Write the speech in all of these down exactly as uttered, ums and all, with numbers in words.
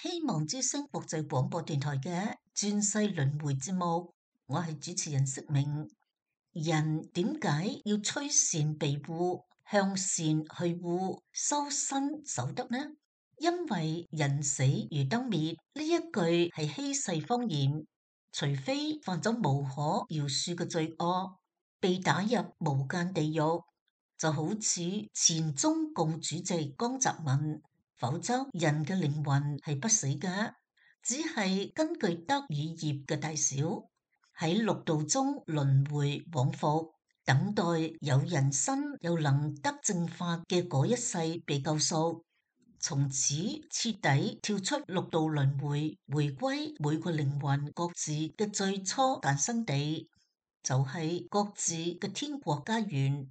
希望之聲國際廣播電台嘅轉世輪迴節目，我係主持人釋明。人點解要趨善避惡，向善去惡，修身守德呢？因為人死如燈滅，呢一句係稀世謊言。除非犯咗無可饒恕嘅罪惡，被打入無間地獄，就好似前中共主席江澤民。否則人嘅靈魂係不死嘅，只係根據德與業嘅大小，喺六道中輪迴往復，等待有人身有能得正法嘅嗰一世被救贖，從此徹底跳出六道輪迴，回歸每個靈魂各自嘅最初誕生地，就係、是、各自嘅天國家園。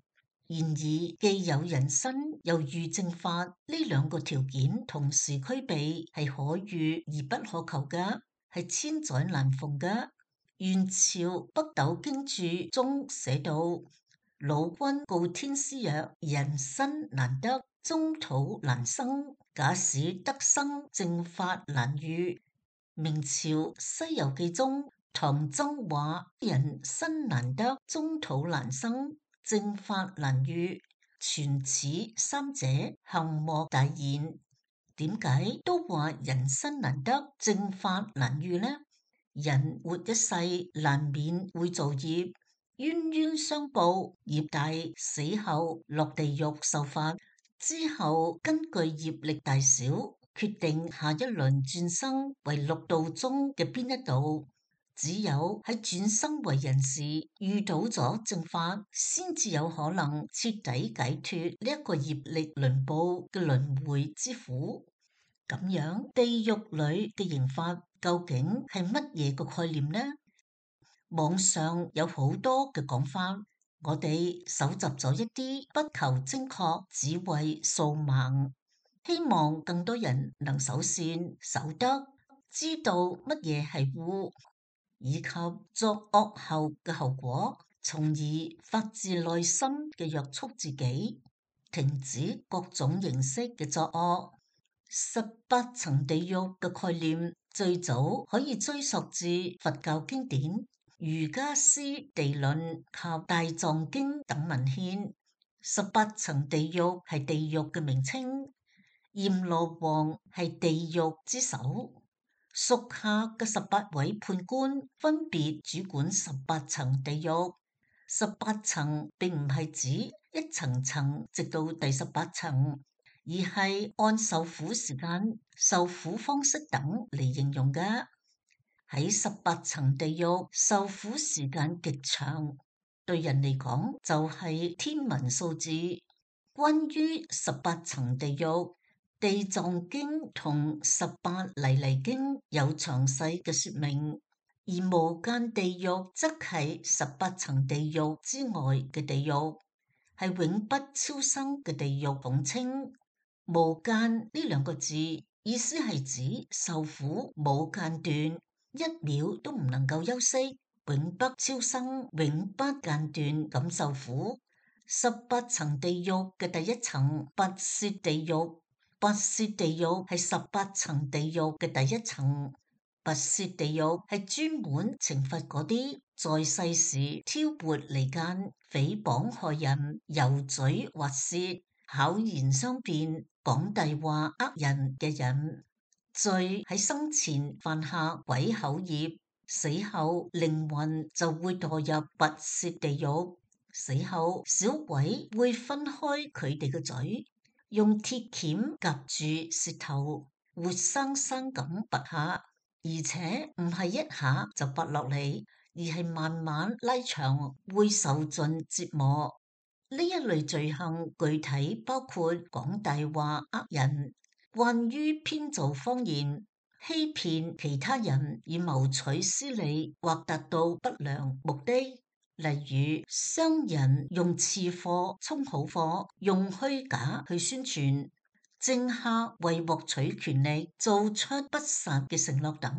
然而，既有人身又遇正法呢兩個條件同時俱備，係可遇而不可求嘅，係千載難逢嘅。元朝北斗經注中寫道：老君告天師曰：人身難得，中土難生。假使得生正法難遇。明朝西遊記中唐僧話：人身難得，中土難生，正法難遇，全此三者幸莫大焉。點解都話人身難得，正法難遇呢？人活一世難免會造業，冤冤相報，業大死後落地獄受罰，之後根據業力大小，決定下一輪轉生為六道中嘅邊一道。只有喺轉生為人時遇到咗正法，先至有可能徹底解脫呢一個業力輪報嘅輪迴之苦。咁樣地獄裏嘅刑罰究竟係乜嘢個概念呢？網上有好多嘅講法，我哋搜集咗一啲，不求精確，只為掃盲，希望更多人能守善守德，知道乜嘢係惡，以及作惡後嘅後果，從而發自內心嘅約束自己，停止各種形式嘅作惡。十八層地獄嘅概念最早可以追溯至佛教經典《瑜伽師地論》及《大藏經》等文獻。十八層地獄係地獄嘅名稱，閻羅王係地獄之首，屬下嘅十八位判官分別主管十八層地獄。十八層並唔係指一層層直到第十八層，而係按受苦時間、受苦方式等嚟形容嘅。喺十八層地獄受苦時間極長，對人嚟講就係天文數字。關於十八層地獄，《地藏經》同《十八泥犁經》有詳細嘅說明，而無間地獄則係十八層地獄之外嘅地獄，係永不超生嘅地獄統稱。無間呢兩個字意思係指受苦冇間斷，一秒都唔能夠休息，永不超生，永不間斷咁受苦。十八層地獄嘅第一層拔舌地獄，拔舌地獄係十八層地獄嘅第一層。拔舌地獄係專門懲罰嗰啲在世時挑撥離間、誹謗害人、油嘴滑舌、巧言相辯、講大話呃人嘅人。罪喺生前犯下鬼口業，死後靈魂就會墮入拔舌地獄。死後小鬼會分開佢哋嘅嘴，用鐵鉗夾住舌頭，活生生咁拔下，而且唔係一下就拔落嚟，而係慢慢拉長，會受盡折磨。呢一類罪行具體包括講大話呃人，慣於編造謊言，欺騙其他人以謀取私利或達到不良目的。例如商人用次貨充好貨，用虛假去宣傳；政客為獲取權力做出不實嘅承諾等；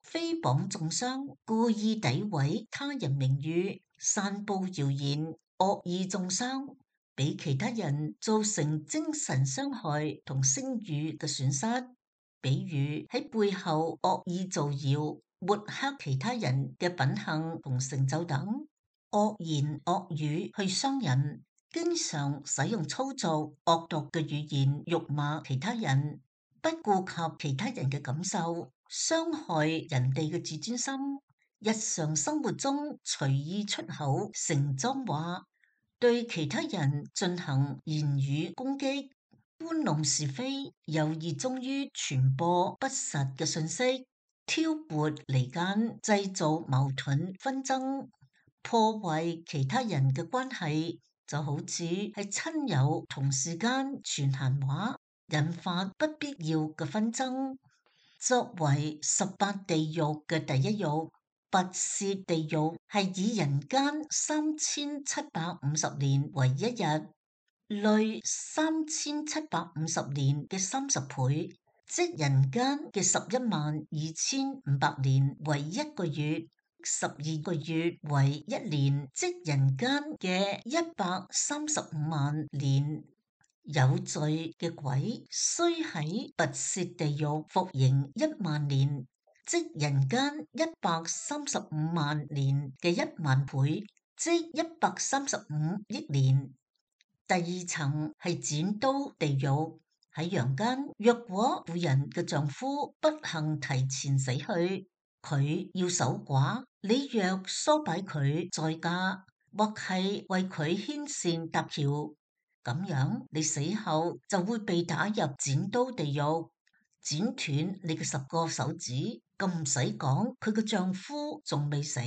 誹謗中傷，故意詆毀他人名譽，散布謠言，惡意中傷，俾其他人造成精神傷害同聲譽嘅損失。比如喺背後惡意造謠、抹黑其他人嘅品行同成就等，惡言惡語去傷人，經常使用粗俗惡毒嘅語言辱罵其他人，不顧及其他人嘅感受，傷害人哋嘅自尊心。日常生活中隨意出口成髒話，對其他人進行言語攻擊，搬弄是非，又熱衷於傳播不實嘅信息，挑撥離間，製造矛盾紛爭，破壞其他人嘅關係，就好似係親友同事間傳閒話，引發不必要嘅紛爭。作為十八地獄嘅第一獄，拔舌地獄係以人間三千七百五十年為一日，累三千七百五十年嘅三十倍，即人間嘅十一萬二千五百年為一個月，十二個月為一年，即人間嘅一百三十五萬年。有罪嘅鬼須喺拔舌地獄服刑一萬年，即人間一百三十五萬年嘅一萬倍，即一百三十五億年。第二層係剪刀地獄，喺陽間，若果婦人嘅丈夫不幸提前死去，佢要守寡，你若唆擺佢再嫁，或係為佢牽線搭橋，咁樣你死後就會被打入剪刀地獄，剪斷你嘅十個手指。咁唔使講，佢嘅丈夫仲未死，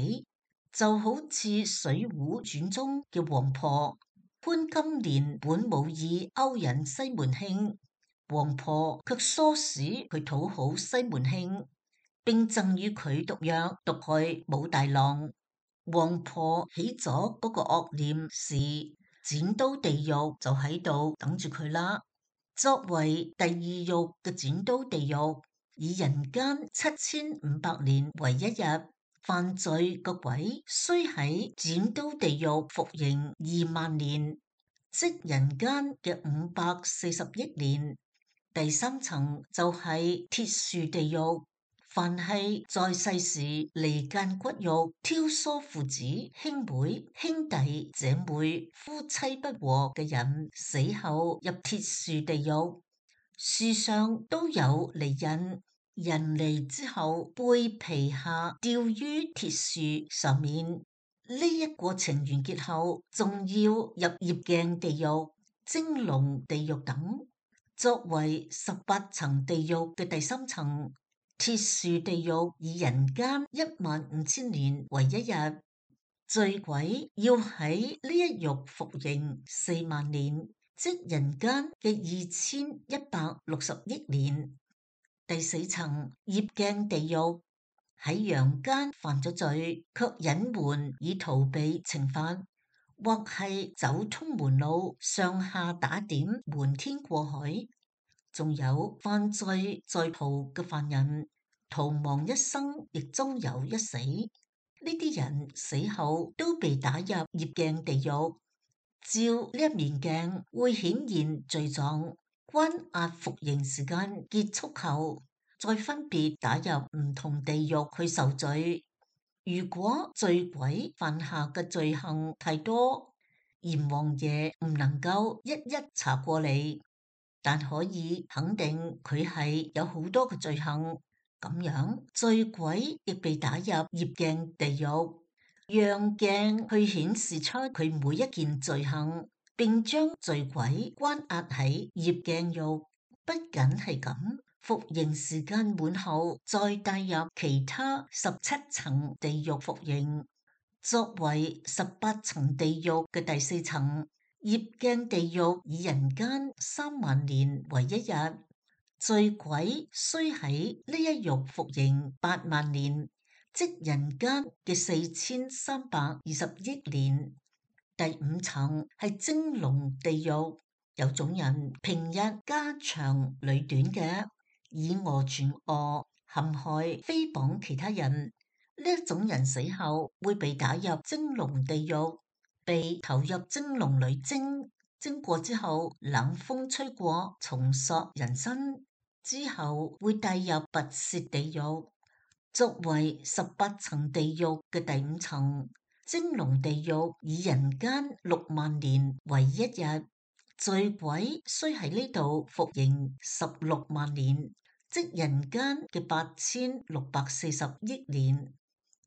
就好似《水滸傳》中嘅王婆潘金蓮本無意勾引西門慶，王婆卻唆使佢討好西門慶，並贈予佢毒藥毒害武大郎。王婆起咗嗰個惡念時，剪刀地獄就喺度等住佢啦。作為第二獄嘅剪刀地獄，以人間七千五百年為一日，犯罪個鬼須喺剪刀地獄服刑二萬年，即人間嘅五百四十億年。第三層就係鐵樹地獄，凡係在世時離間骨肉、挑唆父子、兄妹、兄弟姐妹、夫妻不和嘅人，死後入鐵樹地獄。樹上都有利刃，人嚟之後背皮下吊於鐵樹上面。呢一過程完結後，仲要入業鏡地獄、蒸籠地獄等。作為十八層地獄嘅第三層，鐵樹地獄以人間一萬五千年為一日，罪鬼要喺呢一獄服刑四萬年，即人間嘅二千一百六十億年。第四層業鏡地獄，喺陽間犯咗罪，卻隱瞞以逃避懲罰，或係走通門路，上下打點，瞞天過海。仲有犯罪在逃嘅犯人，逃亡一生，亦終有一死。呢啲人死後都被打入業鏡地獄，照呢一面鏡會顯現罪狀，關押服刑時間結束後，再分別打入唔同地獄去受罪。如果罪鬼犯下嘅罪行太多，閻王爺唔能夠一一查過嚟，但可以肯定佢係有好多嘅罪行。咁樣罪鬼亦被打入業鏡地獄，讓鏡去顯示出佢每一件罪行，並將罪鬼關押喺業鏡獄。不僅係咁，服刑時間滿後，再帶入其他十七層地獄服刑。作為十八層地獄嘅第四層，業鏡地獄以人間三萬年為一日，罪鬼須喺呢一獄服刑八萬年，即人間嘅四千三百二十億年。第五層係蒸籠地獄，有種人平日家長裏短嘅，以訛傳訛，陷害誹謗其他人。呢一種人死後會被打入蒸籠地獄，被投入蒸籠裏蒸，蒸過之後冷風吹過，重塑人身。之後會帶入拔舌地獄，作為十八層地獄嘅第五層。蒸籠地獄以人間六萬年為一日，罪鬼需喺呢度服刑十六萬年，即人間嘅八千六百四十億年。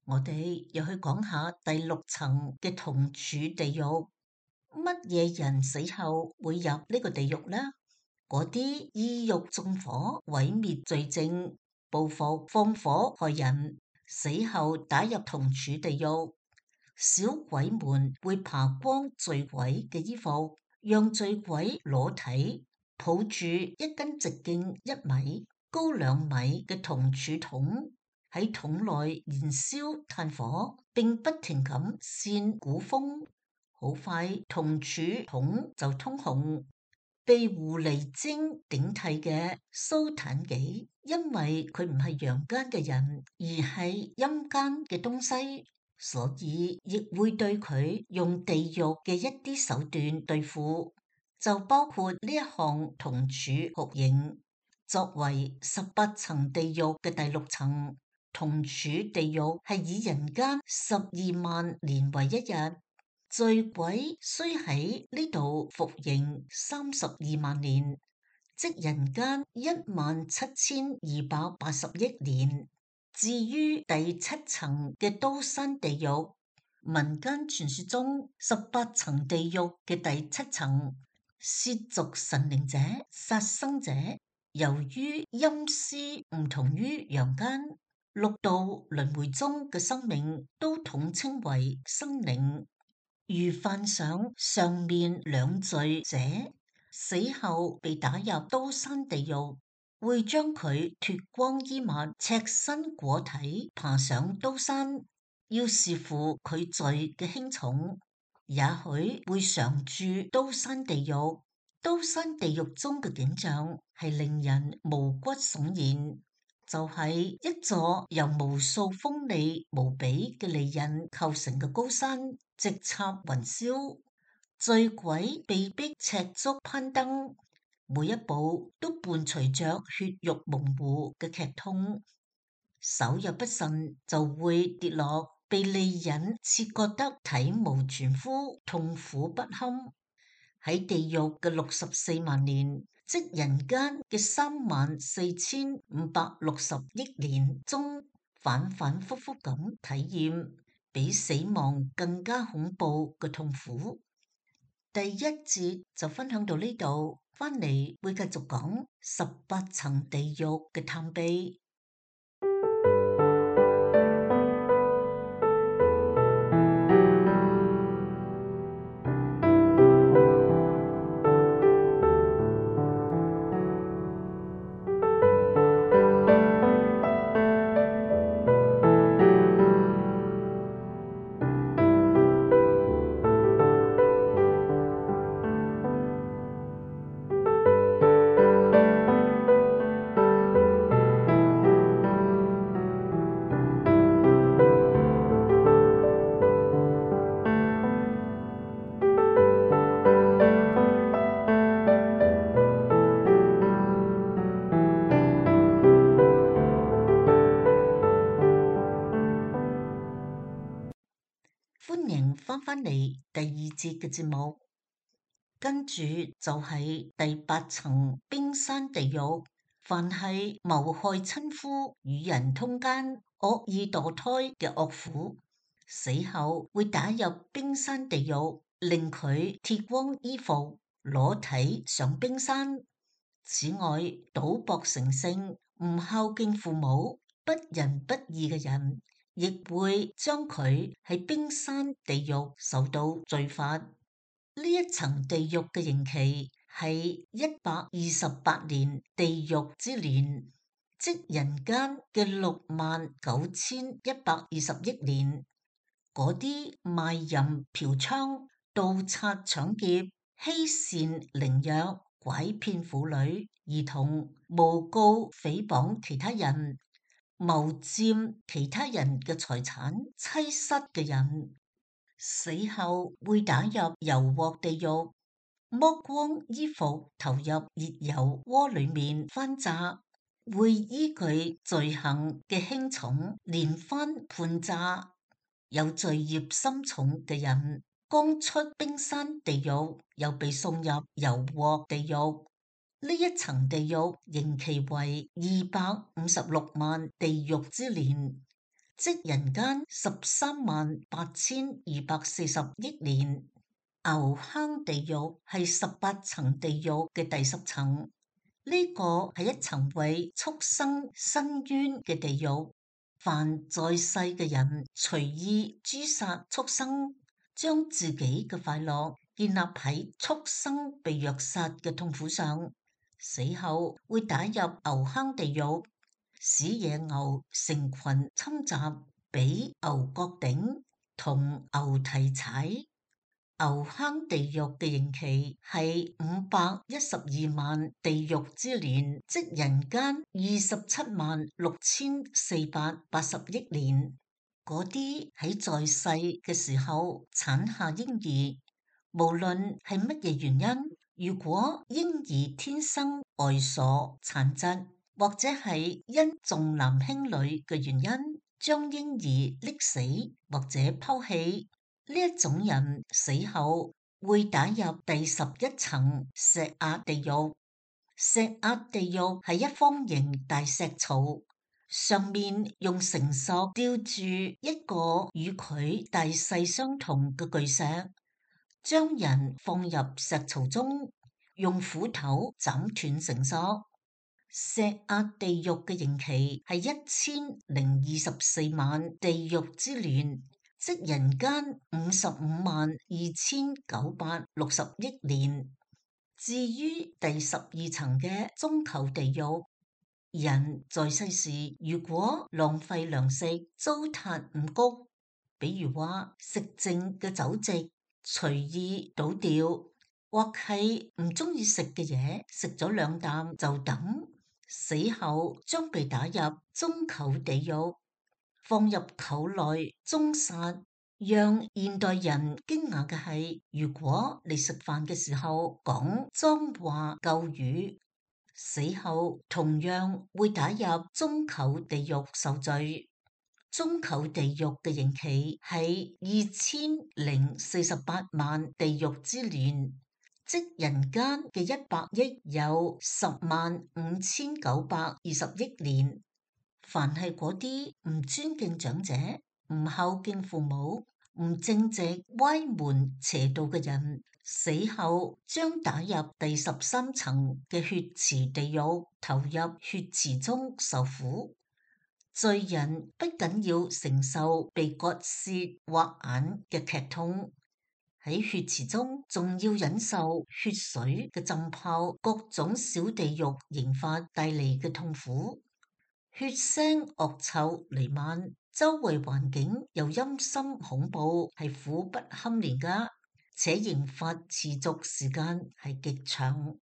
我哋又去講下第六層嘅銅柱地獄。乜嘢人死後會入呢個地獄呢？嗰啲意欲縱火、毀滅罪證、報復、放火害人，死後打入銅柱地獄。小鬼們會扒光醉鬼嘅衣服，讓醉鬼裸體抱住一根直徑一米、高兩米嘅銅柱桶，喺桶內燃燒炭火，並不停咁扇鼓風。好快，銅柱桶就通紅。被狐狸精頂替嘅蘇坦幾，因為佢唔係陽間嘅人，而係陰間嘅東西，所以亦會對佢用地獄嘅一啲手段對付，就包括呢一項銅柱酷刑。作為十八層地獄嘅第六層，銅柱地獄係以人間十二萬年為一日，罪鬼需喺呢度服刑三十二萬年，即人間一萬七千二百八十億年。至於第七層嘅刀山地獄，民間傳說中十八層地獄嘅第七層，褻瀆神靈者、殺生者，由於陰司唔同於陽間，六道輪迴中嘅生命都統稱為生靈。如犯上上面兩罪者，死後被打入刀山地獄，會將佢脫光衣物，赤身裹體爬上刀山。要視乎佢罪嘅輕重，也許會常住刀山地獄。刀山地獄中嘅景象係令人毛骨悚然，就係、是、一座由無數鋒利無比嘅利刃構成嘅高山，直插雲霄，醉鬼被逼赤足攀登，每一步都伴隨着血肉模糊嘅劇痛，手入不慎就會跌落，被利刃切割得體無全膚，痛苦不堪。喺地獄嘅六十四萬年，即人間嘅三萬四千五百六十億年中，反反复复咁體驗比死亡更加恐怖嘅痛苦。第一節就分享到呢度，翻嚟會繼續講十八層地獄嘅探秘。歡迎翻返嚟第二節嘅節目，跟住就係第八層冰山地獄。凡係謀害親夫、與人通姦、惡意墮胎嘅惡婦，死後會打入冰山地獄，令佢脫光衣服，裸體上冰山。此外，賭博成性、唔孝敬父母、不仁不義嘅人，亦會將佢喺冰山地獄受到罪罰。呢一層地獄嘅刑期係一百二十八年地獄之年，即人間嘅六萬九千一百二十億年。嗰啲賣淫嫖娼、盜賊搶劫、欺善凌弱、拐騙婦女、兒童、誣告誹謗其他人、謀佔其他人嘅財產、妻室嘅人，死後會打入油鑊地獄，剝光衣服投入熱油鍋裏面翻炸，會依據罪行嘅輕重連番判詐。有罪孽深重嘅人，剛出冰山地獄，又被送入油鑊地獄。呢一層地獄刑期為二百五十六萬地獄之年，即人間十三萬八千二百四十億年。牛坑地獄係十八層地獄嘅第十層，呢個係一層為畜生伸冤嘅地獄。凡在世嘅人隨意誅殺畜生，將自己嘅快樂建立喺畜生被虐殺嘅痛苦上，死後會打入牛坑地獄，使野牛成群侵襲，俾牛角頂同牛蹄踩。牛坑地獄嘅刑期係五百一十二萬地獄之年，即人間二十七萬六千四百八十億年。嗰啲喺在世嘅時候產下嬰兒，無論係乜嘢原因，如果嬰兒天生呆傻殘疾，或者係因重男輕女嘅原因，將嬰兒溺死或者拋棄。呢一種人死後會打入第十一層石壓地獄。石壓地獄係一方形大石槽，上面用繩索吊住一個與佢大細相同嘅巨石，將人放入石槽中，用斧頭斬斷繩索。石壓地獄嘅刑期係一千零二十四萬地獄之年，即人間五十五萬二千九百六十億年。至於第十二層嘅中求地獄，人在世時如果浪費糧食、糟蹋五穀，比如話食剩嘅酒席隨意倒掉，或係唔中意食嘅嘢食咗兩啖就抌，死後將被打入中求地獄，放入臼內終殺。讓現代人驚訝嘅係，如果你食飯嘅時候講髒話舊語，死後同樣會打入中求地獄受罪。中求地獄嘅刑期係二千零四十八萬地獄之年，即人間嘅一百億有十萬五千九百二十億年。凡係嗰啲唔尊敬長者、唔孝敬父母、唔正直、歪門邪道嘅人，死後將打入第十三層嘅血池地獄，投入血池中受苦。罪人不僅要承受被割舌、挖眼嘅劇痛，喺血池中仲要忍受血水嘅浸泡、各種小地獄刑罰帶嚟嘅痛苦。血腥惡臭彌漫，周圍環境又陰森恐怖，係苦不堪言噶，且刑罰持續時間係極長。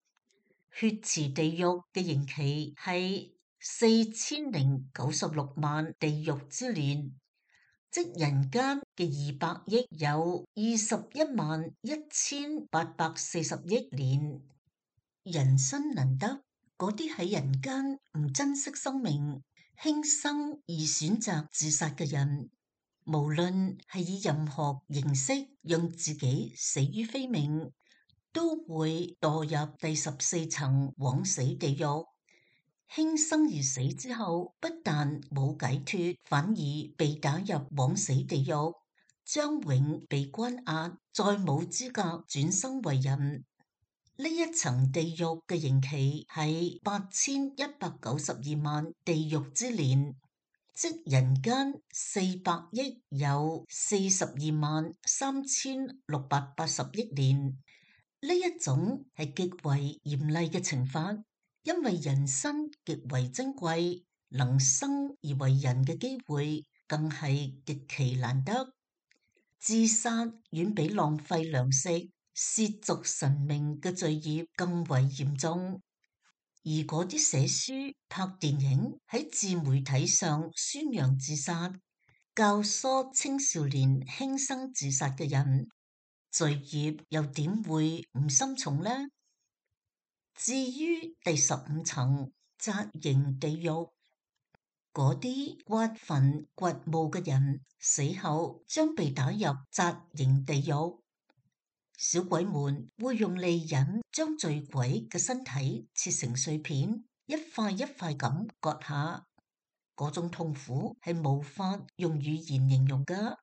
血池地獄嘅刑期係四千零九十六萬地獄之年，即人間嘅二百億有二十一萬一千八百四十億年。人生難得，嗰啲喺人間唔珍惜生命、輕生而選擇自殺嘅人，無論係以任何形式讓自己死於非命，都會墮入第十四層枉死地獄。輕生而死之後，不但冇解脫，反而被打入枉死地獄，將永被關押，再冇資格轉生為人。呢一層地獄嘅刑期係八千一百九十二萬地獄之年，即人間四百億有四十二萬三千六百八十億年。呢一種係極為嚴厲嘅懲罰，因為人生極為珍貴，能生而為人嘅機會更係極其難得。自殺遠比浪費糧食、褻瀆神明嘅罪孽更為嚴重，而嗰啲寫書、拍電影、喺自媒體上宣揚自殺、教唆青少年輕生自殺嘅人，罪孽又點會唔深重呢？至於第十五層紮營地獄。嗰啲挖墳掘墓嘅人死後將被打入紮營地獄。小鬼們會用利刃將醉鬼嘅身體切成碎片，一塊一塊咁割下。嗰種痛苦係無法用語言形容㗎。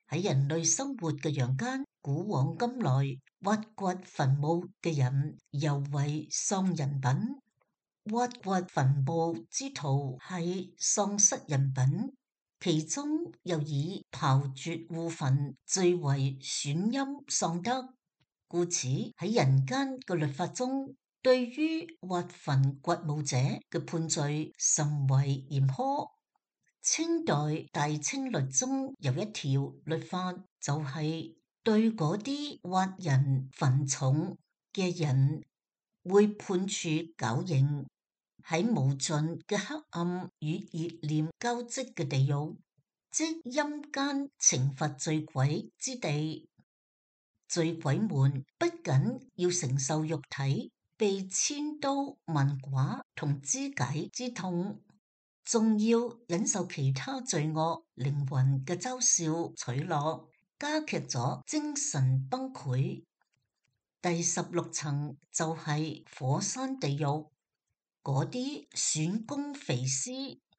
喺人類生活嘅陽間，古往今來挖掘墳墓嘅人尤為喪人品。挖掘墳墓之徒係喪失人品，其中又以刨掘戶墳最為損陰喪德，故此喺人間嘅律法中，對於挖墳掘墓者嘅判罪甚為嚴苛。清代大清律中有一條律法，就係對嗰啲挖人墳冢嘅人會判處絞刑。喺無盡嘅黑暗與熱煉交織嘅地獄，即陰間懲罰醉鬼之地。醉鬼們不僅要承受肉體被千刀萬剮同肢解之痛，仲要忍受其他罪惡靈魂嘅嘲笑取樂，加劇咗精神崩潰。第十六層就係火山地獄。嗰啲損公肥私、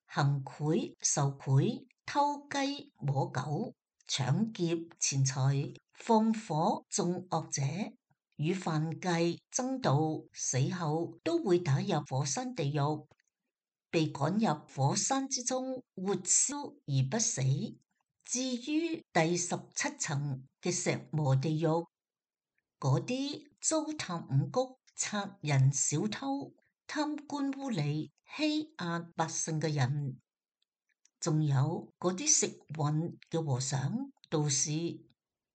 行賄受賄、偷雞摸狗、搶劫錢財、放火縱惡者，與犯戒爭盜，死後都會打入火山地獄，被趕入火山之中，活燒而不死。至於第十七層嘅石磨地獄，嗰啲糟蹋五穀、賊人小偷、貪官污吏、欺壓百姓嘅人，仲有嗰啲食葷嘅和尚道士，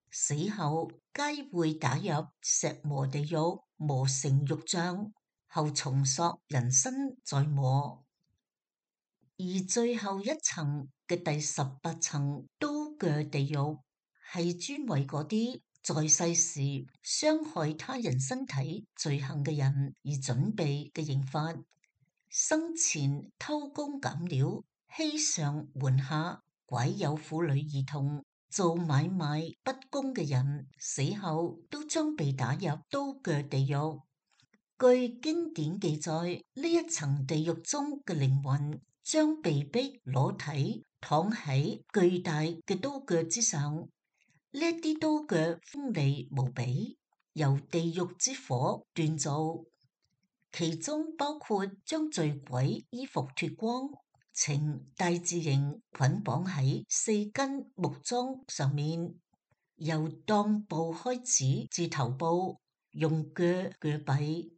死後皆會打入石磨地獄，磨成肉醬，後重塑人身再磨。而最後一層嘅第十八層刀鋸地獄，係專為嗰啲在世時傷害他人身體罪行嘅人而準備嘅刑罰。生前偷工減料、欺上瞞下、拐有婦女兒童、做買賣不公嘅人，死後都將被打入刀鋸地獄。據經典記載，呢一層地獄中嘅靈魂將被逼裸體躺喺巨大嘅刀鋸之上，呢啲刀鋸鋒利無比，由地獄之火鍛造。其中包括將醉鬼衣服脫光，呈大字形捆綁喺四根木樁上面，由襠部開始至頭部，用鋸鋸斃。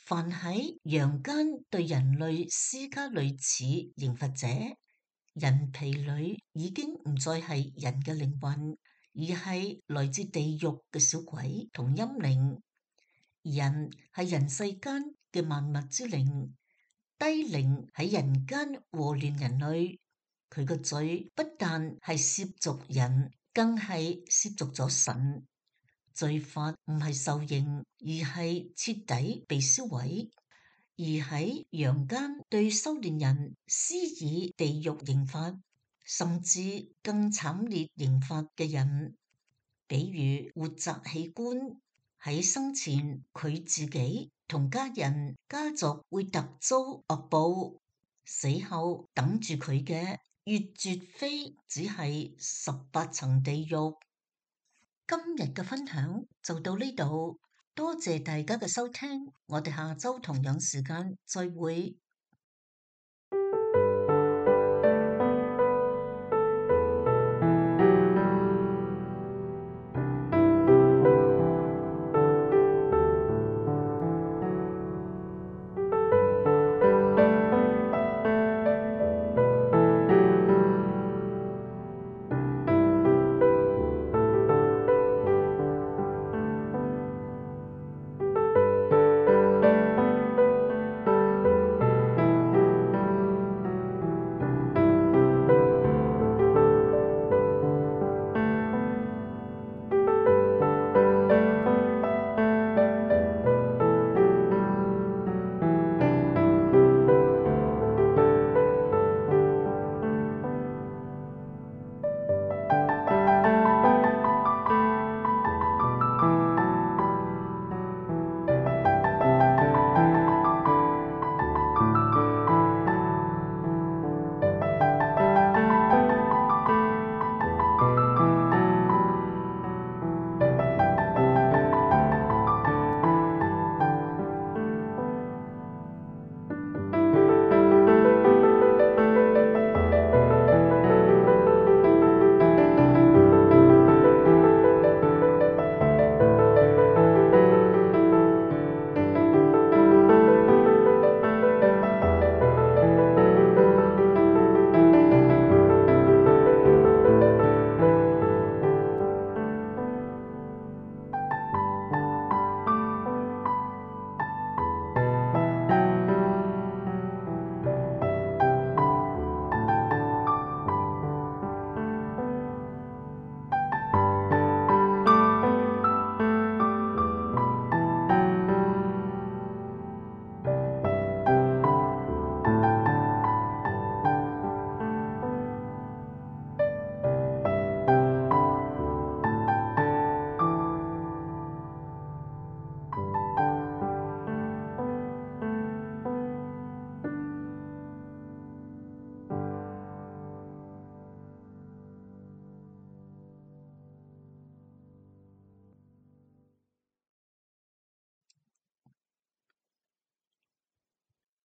凡喺陽間對人類施加類似刑罰者，人皮裏已經唔再係人嘅靈魂，而係來自地獄嘅小鬼同陰靈。人係人世間嘅萬物之靈，低靈喺人間禍亂人類。佢個罪不但係褻瀆人，更係褻瀆咗神。罪法唔係受刑，而係徹底被銷毀。而喺陽間對修煉人施以地獄刑罰，甚至更慘烈刑罰嘅人，比如活摘器官。喺生前，佢自己同家人、家族會特遭惡報；死後等住佢嘅，越絕非只係十八層地獄。今日嘅分享就到呢度，多謝大家嘅收聽，我哋下周同樣時間再會。